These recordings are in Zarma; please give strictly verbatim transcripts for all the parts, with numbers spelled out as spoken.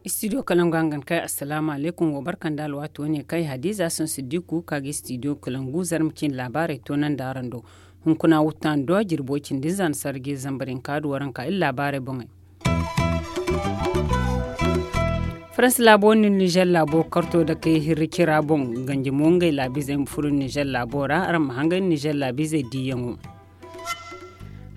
Istidiyo kalangu hangan kay, assalaamu alaykum. Wo barka nda alwaati wane kay hadiza son siddiku ka ga istidiyo kalangu zarma cine laabaarey toonandi araŋ do. Hunkuna wutta nda duwa jirbo cindi za nda sarji zambarinka da waranka iri laabaarey boŋey. Faransi laabo nda nizer laabo karto da kay hirri cira boŋ ganji mo ngey laabiizey ma furo nizer laabo ra araŋ ma hangay nizer laabiizey diiyaŋo.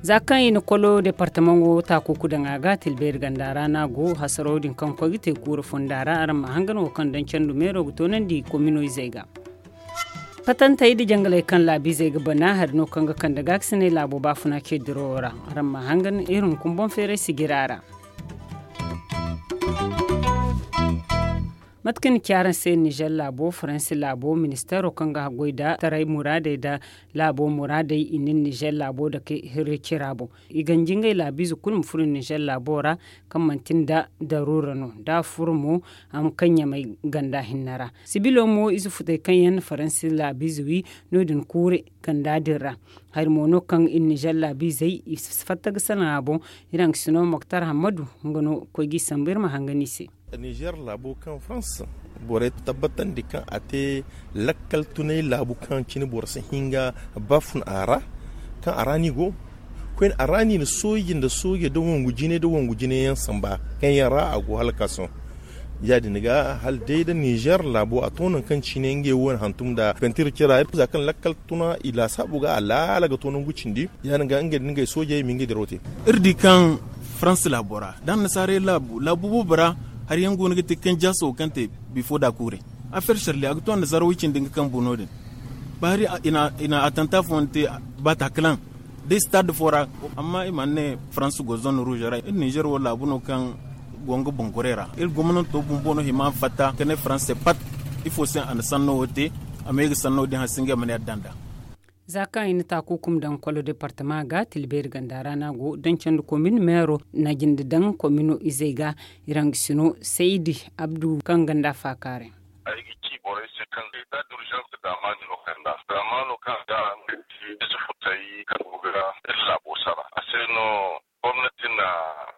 Za kaŋ i na kolo departamaŋo taakuku daŋ a ga tilbeeri ganda ra no a go hasaraw din kaŋ koy ga te kuura fonda ra araŋ ma hangan wo kaŋ daŋ candu meero ga toonandi komino izey ga. Patantey nda jangaley kaŋ laabiizey ga bana hari no kaŋ ga kande gaakasinay laabo baafuna ce dirawo ra. Araŋ ma hangan iri hunkuna boŋ feeray sijira ra. Mate kaŋ ni ci araŋ se nizer laabo faransi laabo ministeero kaŋ ga haggoy nda taray muraadey nda laabo muraadey i na nizer laabo dake hirri cira boŋ. I ganji ngey laabiize kulu ma furo nizer laabo ra kaŋ manti nda daruura no da a furo mo a ma kaŋ ɲamay ganda hinne ra. Sibilo mo ize futey kaŋ yaŋ na faransi laabiize wi no- din kuure ganda din ra. Hari mo no kaŋ iri nizer laabiizey i si fatta ga salaŋ a boŋ. Iri haŋ ga sino moktar hammadu nga no koy ga i sambu iri ma hangan i se. Nizer laabo kaŋ farans borey tabbatandi kaŋ a te lakkal tunay laabu kaŋ cine boro si hin ga ba fun a ra. Kaŋ a ra no i go koyne a ra no i na sooje nda sooje nda wangu jine nda wangu jine yaŋ samba kaŋ yaŋ ra a go hala ga ka sohõ. Ya- din ga hala day nda nizer laabo a to nangu kaŋ cine ngey wo- ne hantum nda pentiir cira za kaŋ lakkal tuna i laasaabu ga a laala ga to nangu cindi. Ya- din ga ngey da ngey soojey ma ngey diraw te. Iri di kaŋ farans laabo ra da annasaarey laabu laabu boobo ra hari yaŋ go no ga te kaŋ jaaso kaŋ te bifo da kuure. Afeer sarli a ga to annasaara way cindi nga kaŋ bu no- din ba hari i na atanta fooyaŋ te ba taakalaŋ da istaad fo ra. Amma i mana ne farans go zone ruuze ra iri nizer wo laabu no kaŋ go nga boŋ gorey ra iri gomnanto bumbo no hima fatta ka ne farans se pat. Ifo se a na sanno wo te a ma ye ga sanno din hanse ngey ma ne adda nd'a. Za kaŋ i na taakukum daŋ kolo departama ga tilbeeri ganda ra no a go daŋ candi komin meero na jinde daŋ komino izey ga. Iraŋ ga sino saydi abdu kaŋ ganda faakaaray. Ay ga ci borey se kaŋ etat d'urgence daamaani no kaŋ ga daamaano kaŋ ga nga ti ize futay kaŋ go ga iri laabo sara a se no. Gomnati na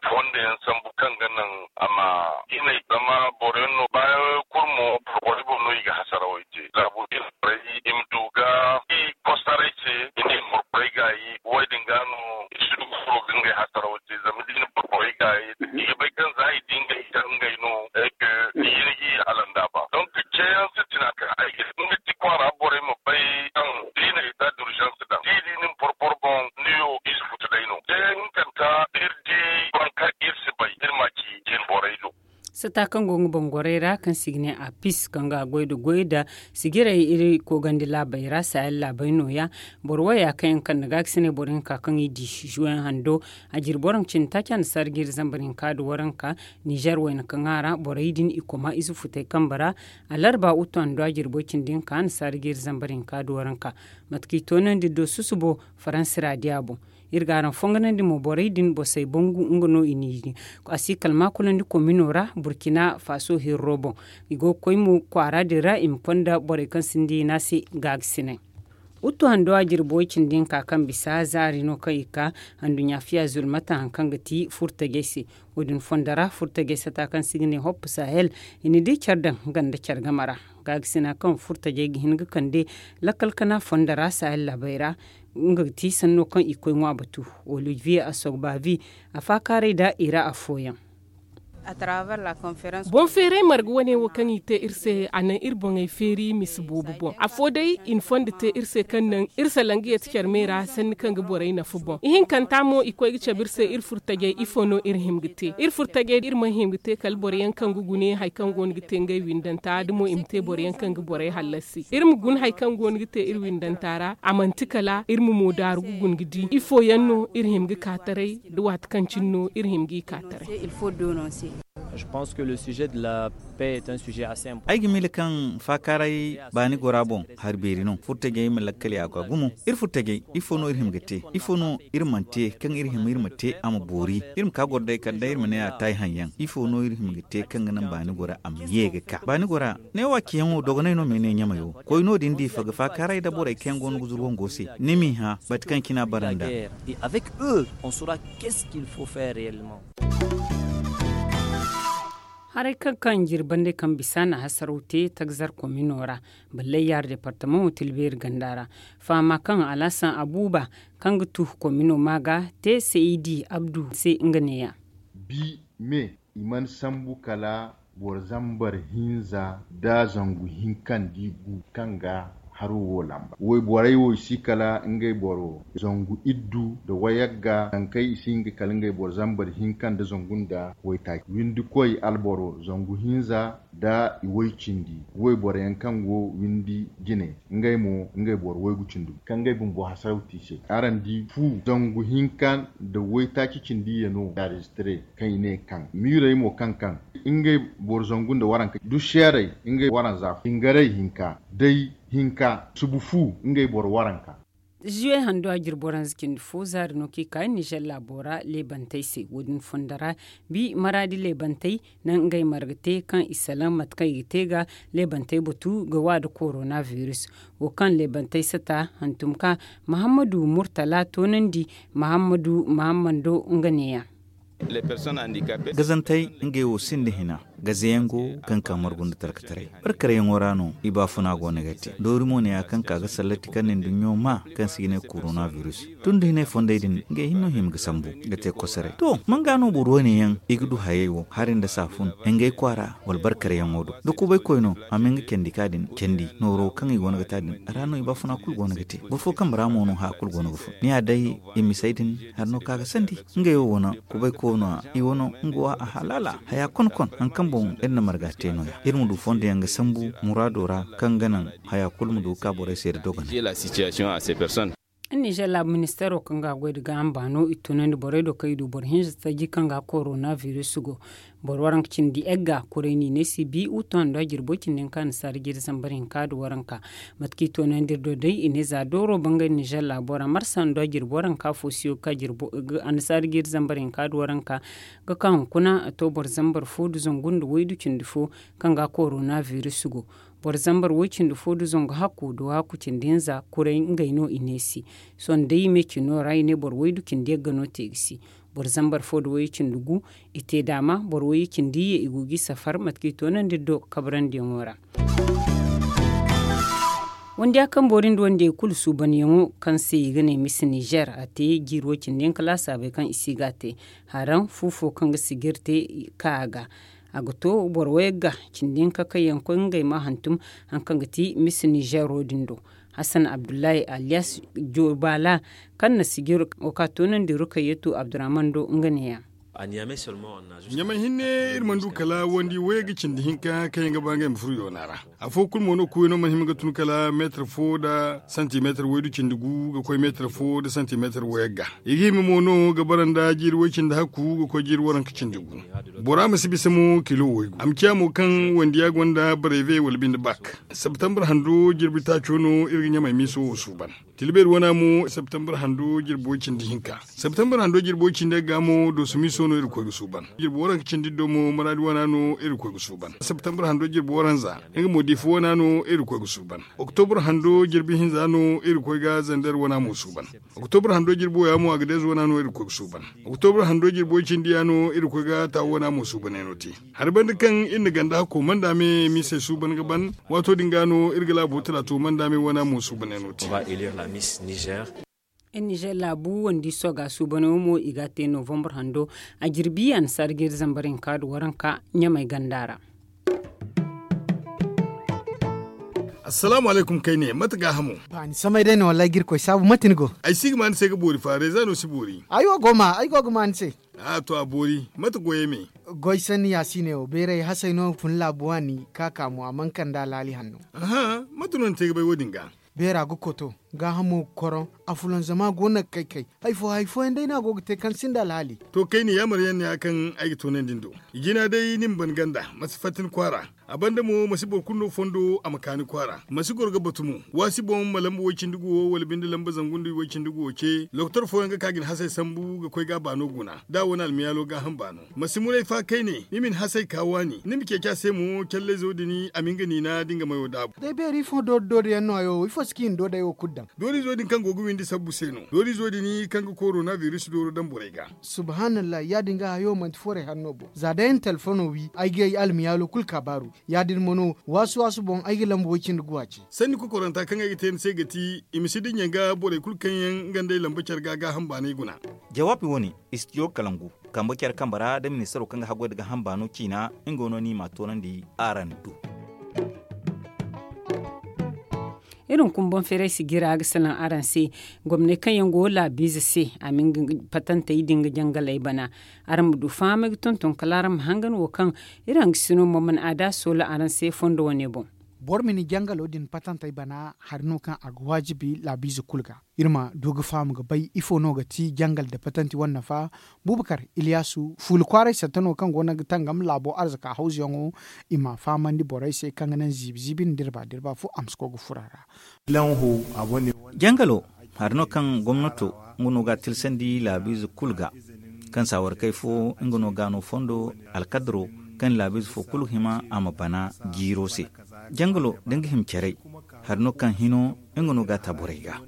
fondo yaŋ sambu kaŋ ga naŋ a ma hinay zama boro yaŋ no baayaŋ yaŋ kulu mo borey boŋ no i ga hasarawey te laabo din borey i ma du ga i kostaray se i ne borey gaayi. Wo- din ga no i si du ga furo ga ngey hasarawey te zama da i na borey gaayi i ga bay kaŋ za i di ngey ga ngey no. Ay ga i ga i hala nda ba donk ceeyaŋ sintina kaŋ ay ga ti kwaara borey ma bay kaŋ da i na etat d'urgence daŋ da i di ni ma boro boŋ ni wo ize futu day no ceeyaŋ hinkanta da iri di boro kaŋ iri si bay iri ma ci jine borey do. Sata kaŋ go nga boŋ gorey ra kaŋ se i ga ne a pis kaŋ ga goy nda goy nda sijirey iri koogandi laabey ra sahel laabey no- ya. Boro waya kaŋ yaŋ kande ga ga si ne boro hinka kaŋ i di zuwe hando a jiri boro ma cindi taaci annasaara ga iri zambar hinka nda waranka. Nizer wayna kaŋ a ra borey din i koma ize futey kambe ra. Alarba uttu handu a jiri boy cindi hinka annasaara ga iri zambar hinka nda waranka. Mate kaŋ i toonandi do susubo faransi ra di a boŋ. Iri ga araŋ fonganandi mo borey din bosey bangu nga no i n'i di. A si kala maakulandi komino ra burkina faso hirro boŋ. I go ga koy mo kwaara din ra i ma konda borey kaŋ sinda i ne a se gaagasinay. Uttu hando a jirbo cindi hinka kaŋ bisa zaari no kaŋ i ka handuɲɲa fiya zulmata hari kaŋ ga ti furtajey se. Wo- din fondo ra furtajey sata kaŋ se i ga ne hoppu sahel i na di care daŋ nga nda care game ra. Gaagasina kaŋ furtajey ga hin ga kande lakkal kana fondo ra sahel laabey ra. Nga ga ti sanno kaŋ i koy ŋwa batu olivier asogbavi a faakaaray nda i ra afooyaŋ. Boŋ feeray marga wane wo kaŋ i te iri se a naŋ iri boŋey feeri misa boobo boŋ afo day i na fondo te iri se kaŋ naŋ iri salaŋ ga yeeti care me ra sanni kaŋ ga borey nafa boŋ ihinkanta mo i koy ga cabe iri se iri furtajey ifo no iri hima ga te iri furtajey iri mana hima ga te kala boro yaŋ kaŋ ga gune hari kaŋ go no ga te ngey windanta da mo i ma te boro yaŋ kaŋ ga borey hallasi iri ma guna hari kaŋ go no ga te iri windanta ra a manti kala iri ma mo daaru ga guna ga di ifo yaŋ no iri hima ga ka taray da waati kaŋ cine no iri hima ga i ka taray. Ay ga miila kaŋ faakaaray baani gora boŋ hari beeri no furtajey ma lakkal ya ga gumo. Iri furtajey ifo no iri hima ga te? Ifo no iri mana te kaŋ iri hima iri ma te a ma boori? Iri ma ka goro day kala day iri ma ne a taayi haŋ yaŋ. Ifo no iri hima ga te kaŋ ga naŋ baani gora a ma ye ga ka baani gora? Neewo a ciyaŋo dogonay no ma ay ne ɲamayo. Koy no- din diifa ga faakaaray nda borey kaŋ yaŋ go no ga zuru wango se ni m'i hã mate kaŋ cine a bara nd'a. Haray kaŋ kaŋ jirbi bandey kaŋ bisa na hasaraw te tagzar komino ra, ballayyaar departamaŋo tilbeeri ganda ra. Fahama kaŋ alhasan abuba kaŋ ga tu komino ma ga te saydi abdu se nga neeya. Bi me i mana sambu kala boro zambar hinza nda zangu hinka nda i gu kaŋ ga haro wo lamba wayborey wo i si kala ngey boro zangu iddu nda wayagga nangu kaŋ i si hin ga kala ngey boro zambar hinka nda zangu nda waytaaci windikoy alboro zangu hinza nda i way-cindi wayboro yaŋ kaŋ go windi jine ngey mo ngey boro waygu cindi gu kaŋ ngey bumbo hasaraw te i se. Araŋ di fu zangu hinka nda waytaaci cindi yano enregistre kaŋ i ne kaŋ miirey mo kaŋ kaŋ ngey boro zangu nda waranka duseerey ngey waranza jingarey hinka day hinka subu fu ngey boro waranka. Zuwe hando a jirbi waranza cindi fo zaari no kaŋ i ka nizer laabo ra leebantey se wo- din fondo ra. Bi maraadi leebantey naŋ ngey marga te kaŋ i salaŋ mate kaŋ i ga te ga leebantey batu ga wa nda korona biris wo kaŋ leebantey sata hantum ka mahammadu murtala toonandi mahammadu mahammando nga neeya. Gazantey ngey wo sinda hina gazayaŋ go kaŋ ka margu nda talkataray barkaryaŋo ra no i baafuna go no ga te doori mo ne ya kaŋ ka ga sallati kaŋ ne nduɲɲo ma kaŋ se i ga ne korona biris tun da hinay fondey din ngey hinne no hima ga sambu ga te kosoray to man ga no boro wane yaŋ i ga du hayey wo hari nda saafun ngey kwaara wala barkaryaŋo do da kubay koy no a ma nga candi ka din candi nooro kaŋ i go no ga te a din ra no i baafuna kulu go no ga te boro fo kambe ra mo no haya kulu go no ga fun ni ya day i misey din hari no ka ga sandi ngey wo wane kubay koy no- ya i wane nga wo a halaala haya konkon hari kaŋ boŋ iri na marga te no- ya iri ma du fondo yaŋ ga sambu muraado ra kaŋ ga naŋ haya kulu ma du ga ka borey se nda dogonay. Nizer laabu ministeero kaŋ ga a goy nda gaaham baano i tunandi borey do kaŋ i du boro hinza taji kaŋ ga korona biris go boro waranka cindi egga kuray no i ne se bi utu hando a jirbo cindi hinka annasaara jiiri zambar hinka nda waranka. Mate kaŋ i toonandi iri do day i ne za dooro bangay nizer laabo ra marsa hando a jirbo ra nka fo siyo ga ka jirbo annasaara jiiri zambar hinka nda waranka ga ka hunkuna a to boro zambar fo nda zangu nda waydu cindi fo kaŋ ga korona biris go. Boro zambar way cindi fo nda zangu hakku nda wahakku cindi hinza kuray ngey no i ne se. Sohõ day me cino ra i ne boro waydu cindi yagga no te ga si. Boro zambar fo nda way cindi gu i te daama boro way cindi iyye i go ga i safar mate kaŋ i toonandi iri do kabarandiyaŋo ra. Wandiya kaŋ boori nda wandiyey kulu suubanyaŋo kaŋ se i ga ne misi nizer a te jiiri way cindi yaŋ kala a saabay kaŋ i si ga a te. Haraŋ fu fo kaŋ ga sijir te ka a ga a ga to boro wayagga cindi hinka kaŋ yaŋ koy ngey ma hantum hari kaŋ ga ti misi nizero din do. Hassan abdullahi aliyas jobala kaŋ na sijir wo ka toonandi rukayyatu abdurrahman do nga neeya. Ɲamay hinne iri mana du kala wandi wayagga cindi hinka kaŋ yaŋ ga ba ngey ma furo yoona ra. Afo kulu mo no kuwey no mana hima ga tun kala meetar fo nda santimeetar waydu cindi gu ga koy meetar fo nda santimeetar wayagga. I ga hima mo no ga bara nda jiiri way cindi hakku ga koy jiiri waranka cindi gu. Bora ma si bisa mo kilo waygu a ma ciya mo kaŋ wandiya gonda bareve wala binde bak. Septembre hando jirbi taaco no iri ga ɲamay miiso wo suuban. Tilbeeri wana mo septembre hando jirbo cindi hinka. Septembre hando jirbo cindi ga mo dooso miiso no iri koy ga suuban. Jirbo waranka cindi do mo maraadi wana no iri koy ga suuban septembre hando jirbo waranza. Nga mo diifa wana no iri koy ga suuban. Oktobur hando jirbi hinza no iri koy ga zander wana mo suuban. Oktobur hando jirbo ya mo a ga deezo wana no iri koy ga suuban. Oktobur hando jirbo cindi ya no iri koy ga taawo wana mo suuban yaŋ no te. Hari banda kaŋ iri na ganda hakko manda me miisey suuban ga ban. Waato din ga no iri ga laabo talaato manda me wana mo suuban yaŋ no te. Iri nizer laabu wandi soga suuban yaŋo mo i ga a te novembre hando a jirbi annasaara jiiri zambar hinka nda waranka ɲamay ganda ra. Assalaamu alaykum kayne mate gaahamo? Ba ni samay day no wallahi ga irkoy saabu mate ni go? Ay si ga ma ni se ga boori fa reeza no si boori. Ay wo go ma ay go ga ma ni se. A to a boori. Mate goyey me? Goy sanni ya si ne wo beeray hasay no fun laabu waani ka ka mo a mana kande alaali hanno. Aha. Mate no ni te ga bay wo- din ga? Beera ga koto. Gaahamo ga koroŋ, a fulanzama go no ga kay-kay. Hari fo hari fooyaŋ day no a go ga te kaŋ sinda alhaali. To kayna yaamar yaŋ ne ya kaŋ ay ga toonandi ni do. Jina day ni ma ban ganda, ma si fatta ni kwaara. A banda mo ma si boro kulu no fondo a ma ka ni kwaara, ma si goro ga batu mo. Waasi boŋ ma lamba way-cindi guwo wala binde lamba zangu nda way-cindi guwo ce, lokotor fooyaŋ ga ka ga ni hasay sambu ga koy ga a baano guna da a wane almiyaalo gaaham baano. Ma si muray fa kayne ni ma ni hasay ka waani, ni ma ceeci a se mo callayzo din a ma nga niina da nga mayo daabu. Day beeri ifo doori doori yaŋ no hayo wo ifo si kaŋ i na doodey wo kulu daŋ? Doorizo din kaŋ go ga windi sabbu se no. Doorizo din kaŋ ga korona biris dooro daŋ borey ga. Subhanallah, ya- din ga hayo manti foorey hanno bo za day ay na telefono wi ay ga ay almiyaalo kulu ka baaru. Ya- din mo no waasu waasu boŋ ay ga lamba way-cindi guwa ce. Sanni kokoranta kaŋ ay ga te ni se ga ti, i ma si dinya ga borey kulu kaŋ yaŋ nga nd'ey lamba care ga gaaham baanay guna. Jawaabi wo- ne, istijo kalangu kambe care kambe ra da ministaro kaŋ ga haggoy nda gaaham baano ciina, nga no no i m'a toonandi araŋ do. Iri hunkuna boŋ feeray sijira ga salaŋ araŋ se. Gomney kaŋ yaŋ go laabiize se, a ma nga patantey din ga jangaley bana. Araŋ ma du fahamey ga tonton kala araŋ ma hangan wo kaŋ iri hangasino mo mana a da soola araŋ se fondo wane boŋ. Boro ma ni jangalo din patantey bana hari no kaŋ a ga waajibi laabiize kulu ga. Iri ma du ga faham ga bay ifo no ga ti jangal nda patanti wane nafa. Bubakar iliyasu fuula kwaaray satta no kaŋ go no ga tangam laabo arzaka hawzuyaŋo. I m'a fahamandi borey se kaŋ ga naŋ ziibi ziibi nda dirba dirba fo a ma si koy ga furo a ra. Jangalo hari no kaŋ gomnato nga no ga a tilsandi laabiize kulu ga, kaŋ saawar kay fo nga no ga no fondo alkadaro kaŋ laabiize fo kulu ga hima a ma bana jiiro se. Jangalo da nga hima caray hari no kaŋ hino nga no ga a ta borey ga.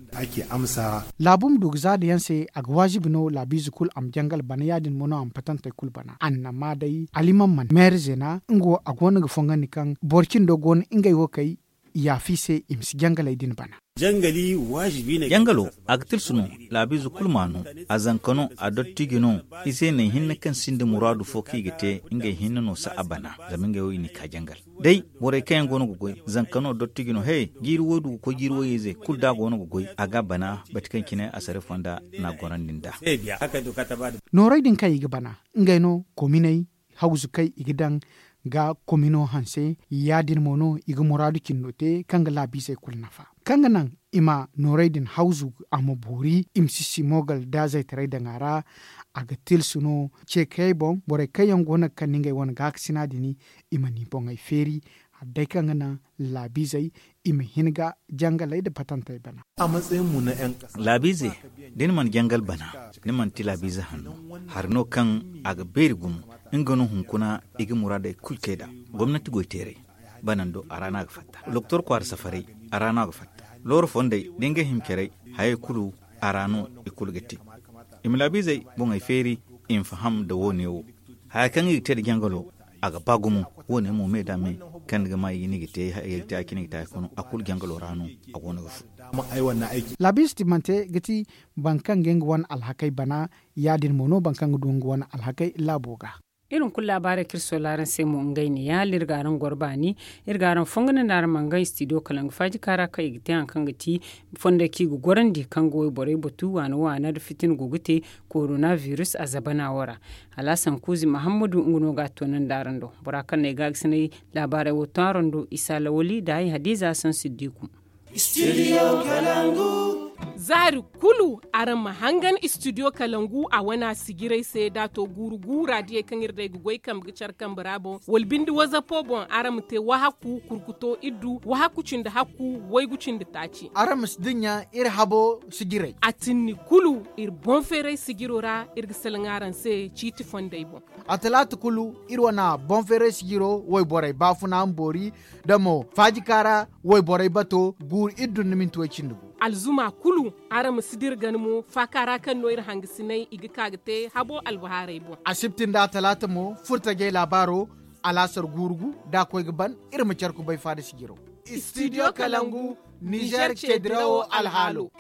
Laabu ma du ga zaada yaŋ se a ga waazibi no laabiize kulu a ma jangal bana ya- din mo no a ma patantey kulu bana annama day alimamman meere zeena nga wo a go no ga fongandi kaŋ boro cindo go no ngey wo kay yaafi se i ma si jangaley din bana. Jangalo a ga tilsu no laabiize kulu ma no. A zanka no a dottiji no. I se naŋ hinne kaŋ sinda muraadu fo kaŋ i ga te ngey hinne no si a bana zama ngey wo i n'i ka jangal. Day borey kaŋ yaŋ go no ga goy zanka no dottiji no he jiiri woy du ga koy jiiri woy-ize kulu da a go no ga goy a ga a bana bati kaŋ cine a sare fonda n'a gorandi nd'a. Noorey din kaŋ i ga bana ngey no kominey hawzu kaŋ i ga daŋ ga komino hanse ya- din mo no i ga muraadu cindo te kaŋ ga laabiizey kulu nafa kaŋ ga naŋ i ma noorey din hawzu a ma boori i ma si simogal da zaytaray daŋ a ra. A ga tilsu no ceekayey boŋ borey kaŋ yaŋ go no ga kande ngey wane gaakasina din i ma ni boŋey feeri hari day kaŋ ga naŋ laabiizey i ma hin ga jangaley nda patantey bana. Laabiize da ni mana jangal bana ni manti laabiize hanno. Hari no kaŋ a ga beeri gumo nga no hunkuna i ga muraadey kulu te nd'a. Gomnati goyteerey banando a ra no a ga fatta. Doktor kwaara safarey a ra no a ga fatta. Looro fondey da ngey hima carey hayey kulu a ra no i kulu ga te. I ma laabiizey boŋey feeri i ma faham nda wo- ne wo. Haya kaŋ i ga te nda jangalo a ga ba gumo. Wo- ne mo me nda me kaŋ ni ga ma i ga ne i ga te a cine i ga te a kulu jangalo ra no. A go no ga fun. Laabiize timmante ga ti boro kaŋ ga nga wane alhakey bana ya- din mo no boro kaŋ ga du nga wane alhakey laabo ga. Iri hunkuna laabaarey kaŋ iri soola araŋ se mo ngey ne ya hala iri ga araŋ goro baani. Iri ga araŋ fongu nda araŋ ma nga istidiyo kalangu faaji kaara kaŋ i ga te hari kaŋ ga ti fondey kaŋ i ga gorandi kaŋ ga wayborey batu waana waana nda fitina go ga te korona biris a zabana wo ra. Alhasan kuuzi mahammadu nga no ga a toonandi araŋ do. Bora kaŋ no ay gaagasinay laabaarey wo to araŋ do isa lawali nda ay hadiiza hasan siddiku. Zaari kulu araŋ ma hangan istidiyo kalangu a wana sijirey se da a to guuru guura diyey kaŋ iri day ga goy kambe ga care kambe ra boŋ wala binde wazapo boŋ araŋ ma te wahakku kurkuto iddu wahakku cindi hakku waygu cindi taaci. Araŋ ma si dinya iri habo sijirey. A tinni kulu iri boŋ feeray sijiro ra iri ga salaŋ araŋ se ciiti fondey boŋ. A talaata kulu iri wana boŋ feeray sijiro wayborey baafuna ma boori da mo faajika ra wayborey bato guuru iri dun ni minti way cindi gu. Alzuma kulu araŋ ma si dira gana mo faaka ra kaŋ no iri hangasinay i ga ka ga te habo albahaarey boŋ. Asibti nda atalaata mo furtajey laabaaro alaasar guuru gu da a koy ga ban. Iri ma care kubay faada sijiro. Istidiyo kalangu nizer ceedirawo alhaalo.